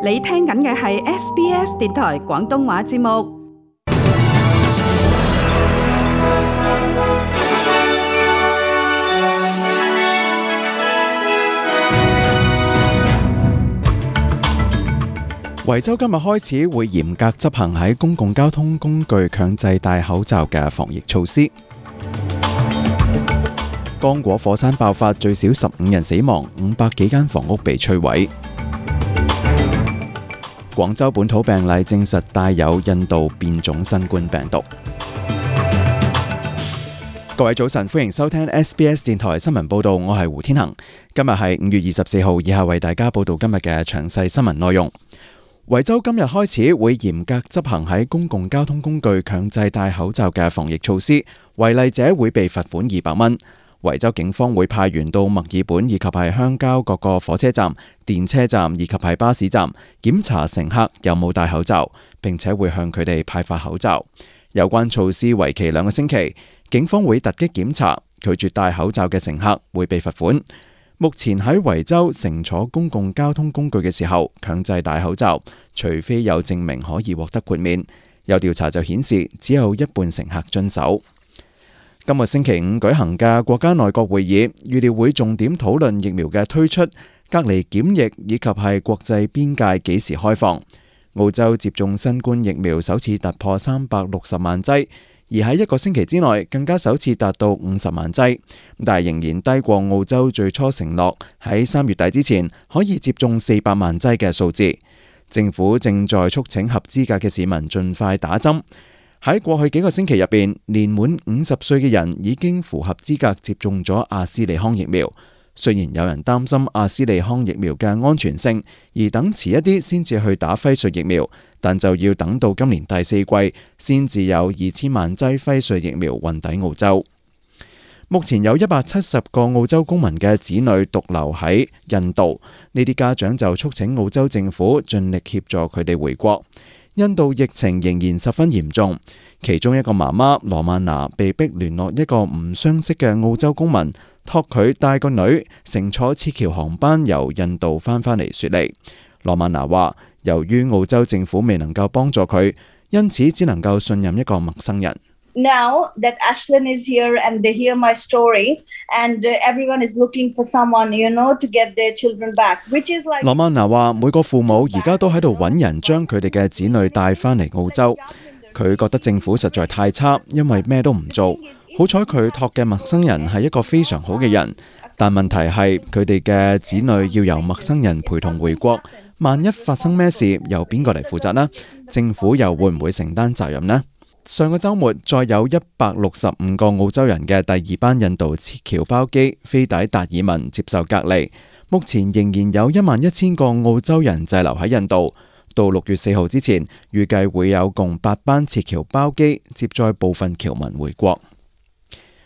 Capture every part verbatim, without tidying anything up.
你聽緊嘅係 S B S 電台廣東話節目。維州今日開始會嚴格執行喺公共交通工具強制戴口罩嘅防疫措施。剛果火山爆發，最少十五人死亡，五百幾間房屋被摧毀。廣州本土病例證實帶有印度變種新冠病毒。各位早晨，歡迎收聽 S B S 電台新聞報道，我係胡天恒。今日係五月二十四號，以下為大家報道今日嘅詳細新聞內容。維州今日開始會嚴格執行喺公共交通工具強制戴口罩嘅防疫措施，違例者會被罰款二百蚊。維州警方會派員到墨爾本以及係鄉郊各個火車站、電車站以及係巴士站檢查乘客有冇戴口罩，並且會向佢哋派發口罩。有關措施為期兩個星期，警方會突擊檢查，拒絕戴口罩嘅乘客會被罰款。目前喺維州乘坐公共交通工具嘅時候強制戴口罩，除非有證明可以獲得豁免。有調查就顯示只有一半乘客遵守。今個星期五舉行嘅國家內閣會議預料會重點討論疫苗嘅推出、隔離檢疫以及係國際邊界幾時開放。澳洲接種新冠疫苗首次突破三百六十萬劑，而喺一個星期之內更加首次達到五十萬劑，但係仍然低過澳洲最初承諾喺三月底之前可以接種四百萬劑嘅數字。政府正在促請合資格嘅市民盡快打針。喺過去幾個星期入邊，年滿五十歲嘅人已經符合資格接種咗阿斯利康疫苗。雖然有人擔心阿斯利康疫苗嘅安全性，而等遲一啲先至去打輝瑞疫苗，但就要等到今年第四季先至有二千萬劑輝瑞疫苗運抵澳洲。目前有一百七十個澳洲公民嘅子女獨留喺印度，呢啲家長就促請澳洲政府盡力協助佢哋回國。印度疫情仍然十分嚴重，其中一個媽媽羅曼娜被逼聯絡一個唔相識嘅澳洲公民，託佢帶個女乘坐撤僑航班由印度翻返嚟雪梨。羅曼娜話，由於澳洲政府未能夠幫助佢，因此只能夠信任一個陌生人。Now that Ashlyn is here and they hear my story and everyone is looking for someone, you know, to get their children back, which is like... 羅曼娜話，每個父母而家都喺度揾人將佢哋嘅子女帶返嚟澳洲。佢覺得政府實在太差，因為咩都唔做。好彩佢託嘅陌生人係一個非常好嘅人，但問題係佢哋嘅子女要由陌生人陪同回國，萬一發生咩事，由邊個嚟負責呢？政府又會唔會承擔責任呢？上個週末，再有一百六十五個澳洲人嘅第二班印度撤僑包機飛抵達爾文接受隔離。目前仍然有一萬一千個澳洲人滯留喺印度。到六月四號之前，預計會有共八班撤僑包機接載部分僑民回國。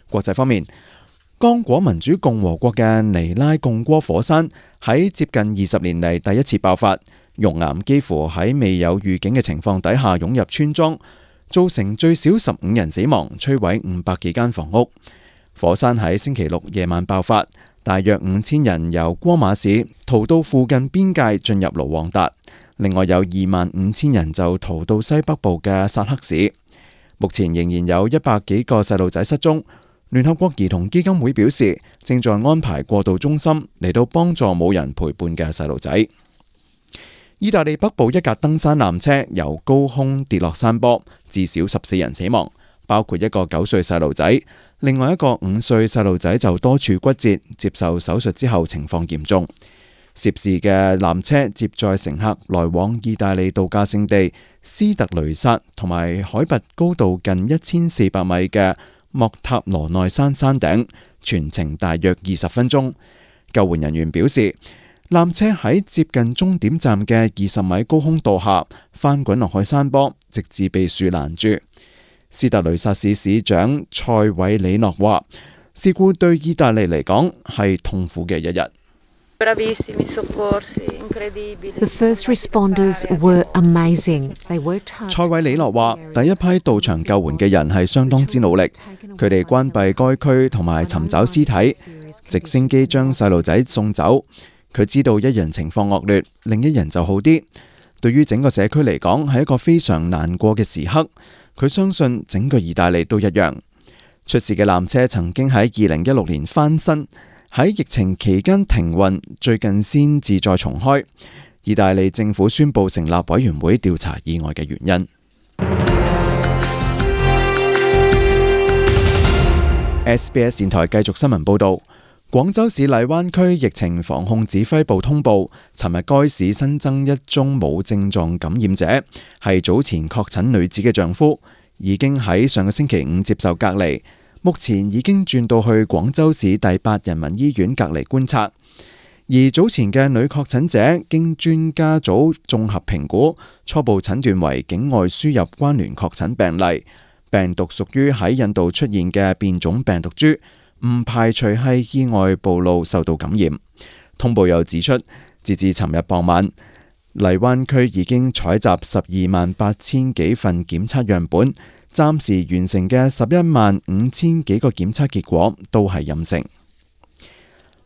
國際方面，剛果民主共和國嘅尼拉貢戈火山喺接近二十年嚟第一次爆發，熔岩幾乎喺未有預警嘅情況底下湧入村莊，造成最少十五人死亡，摧毀五百幾間房屋。火山喺星期六夜晚爆發，大約五千人由戈馬市逃到附近邊界進入盧旺達，另外有二萬五千人就逃到西北部嘅薩克市。目前仍然有一百幾個細路仔失蹤。聯合國兒童基金會表示，正在安排過渡中心嚟到幫助冇人陪伴嘅細路仔。意大利北部一架登山纜車由高空跌落山坡，至少十四人死亡，包括一個九歲細路仔，另外一個五歲細路仔就多處骨折，接受手術之後情況嚴重。涉事嘅纜車接載乘客來往意大利度假勝地斯特雷薩同埋海拔高度近一千四百米嘅莫塔羅內山山頂，全程大約二十分鐘。救援人員表示，纜車喺接近終點站嘅二十米高空墮下，翻滾落去山坡，直至被樹攔住。斯特雷薩市市長塞韋里諾話，事故對意大利嚟講係痛苦嘅一日。The first responders were amazing. They worked hard. 塞韋里諾話，第一批到場救援嘅人係相當之努力，佢哋關閉該區同埋尋找屍體，直升機將細路仔送走。佢知道一人情況惡劣，另一人就好啲。對於整個社區嚟講，係一個非常難過嘅時刻。佢相信整個意大利都一樣。出事嘅纜車曾經喺二零一六年翻新，喺疫情期間停運，最近先至再重開。意大利政府宣布成立委員會調查意外嘅原因。S B S 電台繼續新聞報導。廣州市荔灣區疫情防控指揮部通報，尋日該市新增一宗冇症狀感染者，係早前確診女子嘅丈夫，已經喺上個星期五接受隔離，目前已經轉到去廣州市第八人民醫院隔離觀察。而早前嘅女確診者經專家組綜合評估，初步診斷為境外輸入關聯確診病例，病毒屬於喺印度出現嘅變種病毒株。唔排除係意外暴露受到感染。通報又指出，截至尋日傍晚，荔灣區已經採集十二萬八千幾份檢測樣本，暫時完成嘅十一萬五千幾個檢測結果都係陰性。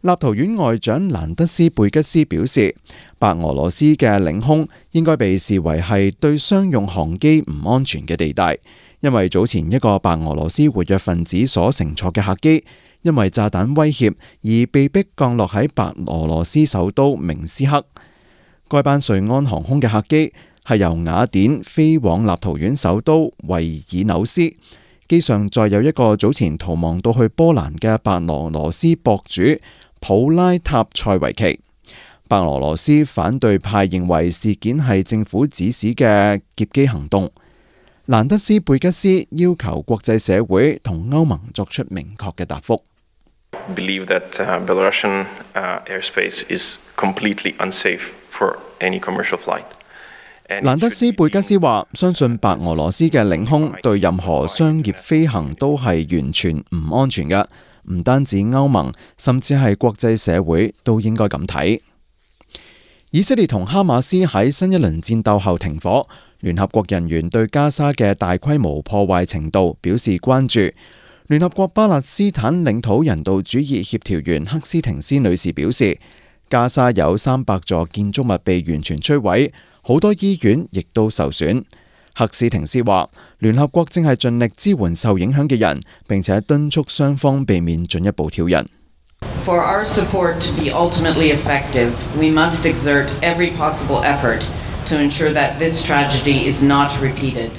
立陶宛外長蘭德斯貝吉斯表示，白俄羅斯嘅領空應該被視為係對商用航機唔安全嘅地帶，因為早前一個白俄羅斯活躍分子所乘坐嘅客機，因為炸彈威脅而被迫降落喺白俄羅斯首都明斯克。該班瑞安航空嘅客機係由雅典飛往立陶宛首都維爾紐斯，機上載有一個早前逃亡到去波蘭嘅白俄羅斯博主普拉塔塞維奇。白俄羅斯反對派認為事件係政府指使嘅劫機行動。蘭德斯貝吉斯要求國際社會同歐盟作出明確嘅答覆。Believe that uh, Belarusian uh, airspace is completely unsafe for any commercial flight. 蘭德斯貝吉斯話：相信白俄羅斯嘅領空對任何商業飛行都係完全唔安全嘅，唔單止歐盟，甚至係國際社會都應該咁睇。以色列同哈馬斯喺新一輪戰鬥後停火，聯合國人員對加沙嘅大規模破壞程度表示關注。聯合國巴勒斯坦領土人道主義協調員克斯廷斯女士表示，加沙有三百座建築物被完全摧毀，好多醫院亦都受損。克斯廷斯話，聯合國正係盡力支援受影響嘅人，並且敦促雙方避免進一步挑釁。For our support to be ultimately effective, we must exert every possible effort to ensure that this tragedy is not repeated.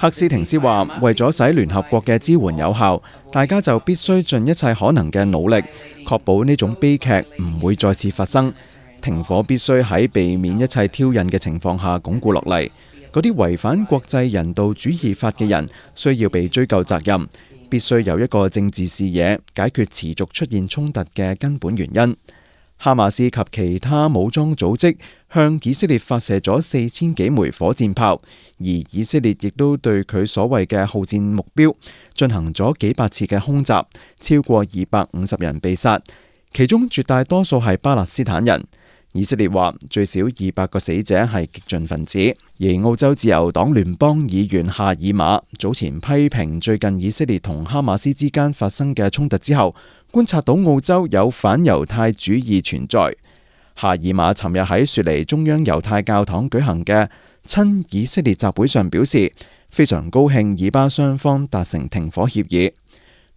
克斯廷斯話，為咗使聯合國嘅支援有效，大家就必須盡一切可能嘅努力，確保呢種悲劇唔會再次發生。停火必須喺避免一切挑釁嘅情況下鞏固落嚟。嗰啲違反國際人道主義法嘅人需要被追究責任，必須有一個政治視野，解決持續出現衝突嘅根本原因。哈馬斯及其他武裝組織向以色列發射咗四千幾枚火箭炮，而以色列亦都對佢所謂嘅號戰目標進行咗幾百次嘅空襲，超過二百五十人被殺，其中絕大多數係巴勒斯坦人。以色列話最少二百個死者係激進分子。而澳洲自由黨聯邦議員夏爾馬早前批評最近以色列同哈馬斯之間發生嘅衝突之後，觀察到澳洲有反猶太主義存在。夏爾馬尋日喺雪梨中央猶太教堂舉行嘅親以色列集會上表示，非常高興以巴雙方達成停火協議。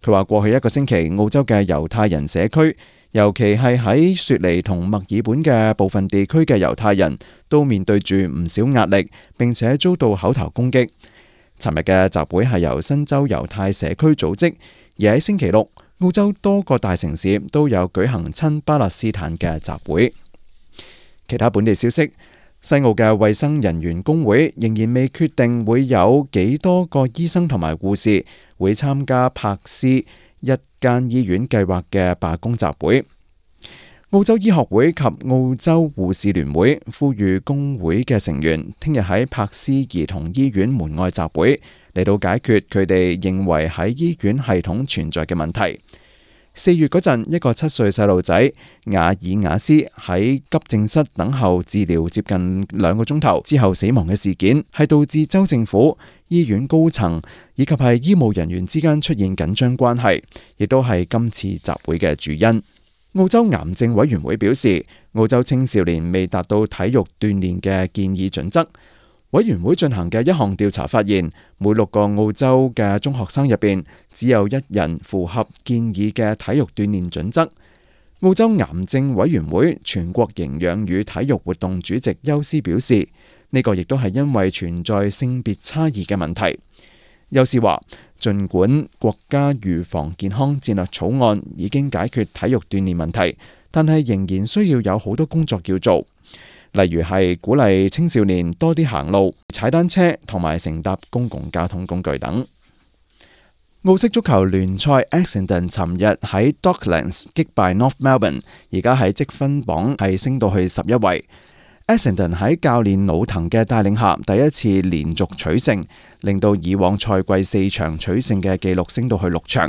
佢話過去一個星期，澳洲嘅猶太人社區，尤其係喺雪梨同墨爾本嘅部分地區嘅猶太人都面對住唔少壓力，並且遭到口頭攻擊。尋日嘅集會係由新州猶太社區組織，而喺星期六，澳洲多個大城市都有舉行親巴勒斯坦嘅集會。其他本地消息，西澳嘅衛生人員工會仍然未決定會有幾多個醫生同埋護士會參加柏斯一間醫院計劃嘅罷工集會。澳洲醫學會及澳洲護士聯會呼籲工會嘅成員聽日喺柏斯兒童醫院門外集會，嚟到解決佢哋認為喺醫院系統存在嘅問題。四月嗰陣，一個七歲細路仔雅爾雅斯喺急症室等候治療接近兩個鐘頭之後死亡嘅事件，係導致州政府、醫院高層以及係醫務人員之間出現緊張關係，亦都係今次集會嘅主因。澳洲癌症委員會表示，澳洲青少年未達到體育鍛煉嘅建議準則。委員會進行嘅一項調查發現，每六個澳洲嘅中學生入邊，只有一人符合建議嘅體育鍛煉準則。澳洲癌症委員會全國營養與體育活動主席休斯表示，呢個亦都係因為存在性別差異嘅問題。休斯話，儘管國家預防健康戰略草案已經解決體育鍛煉問題，但係仍然需要有好多工作要做，例如係鼓勵青少年多啲行路、踩單車同埋乘搭公共交通工具等。澳式足球聯賽 Essendon 尋日喺 Docklands 擊敗 North Melbourne， 而家喺積分榜係升到去十一位。Essendon 喺教練老滕嘅帶領下，第一次連續取勝，令到以往賽季四場取勝嘅紀錄升到去六場。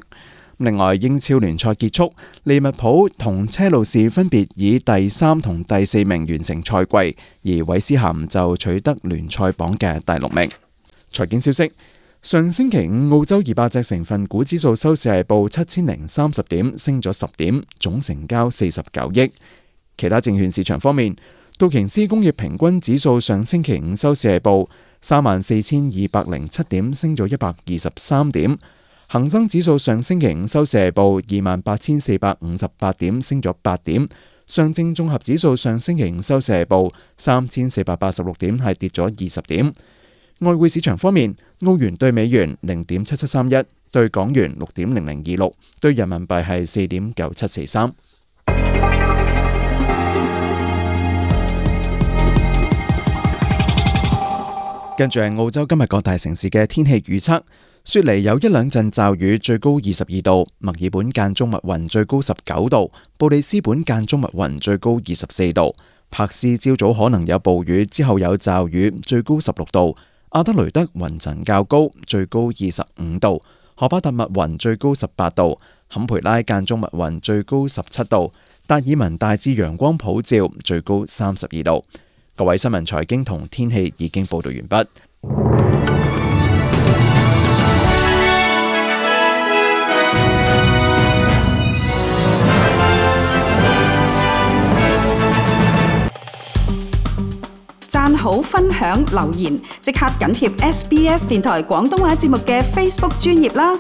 另外，英超聯賽結束，利物浦同車路士分別以第三同第四名完成賽季，而韋斯咸就取得聯賽榜嘅第六名。財經消息，上星期五澳洲二百隻成分股指數收市係報七千零三十點，升咗十點，總成交四十九億。其他證券市場方面，道瓊斯工業平均指數上星期五收市係報三萬四千二百零七點，升咗一百二十三點。恒生指數上星期五收市係報二萬八千四百五十八點，升咗八點。上證綜合指數上星期五收市係報三千四百八十六點，係跌咗二十點。外匯市場方面，澳元對美元零點七七三一，對港元六點零零二六，對人民幣係四點九七四三。跟住係澳洲今日各大城市嘅天氣預測。雪梨有一兩陣驟雨，最高二十二度；墨爾本間中密雲，最高十九度；布里斯本間中密雲，最高二十四度；柏斯朝早可能有暴雨，之後有驟雨，最高十六度；阿德雷德雲層較高，最高二十五度；荷巴特密雲，最高十八度；坎培拉間中密雲，最高十七度；達爾文大致陽光普照，最高三十二度。各位新聞財經同天氣已經報道完畢。讚好、分享、留言，即刻緊貼 S B S 電台廣東話節目嘅 Facebook 專頁啦！